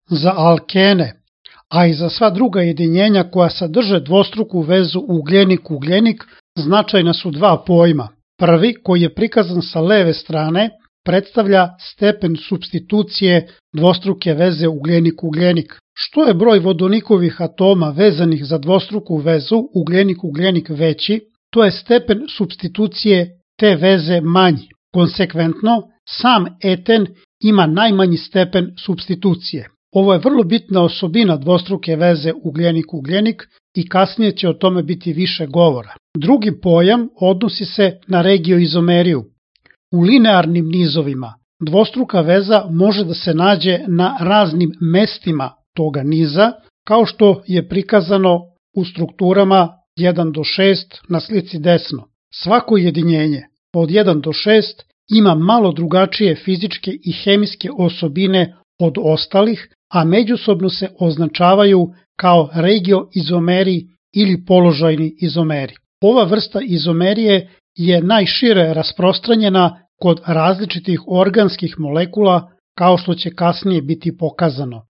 za alkene, a i za sva druga jedinjenja koja sadrže dvostruku vezu ugljenik-ugljenik značajna su dva pojma. Prvi, koji je prikazan sa leve strane, predstavlja stepen supstitucije dvostruke veze ugljenik-ugljenik. Što je broj vodonikovih atoma vezanih za dvostruku vezu ugljenik-ugljenik veći, to je stepen supstitucije te veze manji. Konsekventno, sam eten ima najmanji stepen supstitucije. Ovo je vrlo bitna osobina dvostruke veze ugljenik-ugljenik i kasnije će o tome biti više govora. Drugi pojam odnosi se na regioizomeriju. U linearnim nizovima dvostruka veza može da se nađe na raznim mestima toga niza, kao što je prikazano u strukturama 1 do 6 na slici desno. Svako jedinjenje od 1 do 6 ima malo drugačije fizičke i hemijske osobine od ostalih, a međusobno se označavaju kao regioizomeri ili položajni izomeri. Ova vrsta izomerije je najšire rasprostranjena kod različitih organskih molekula, kao što će kasnije biti pokazano.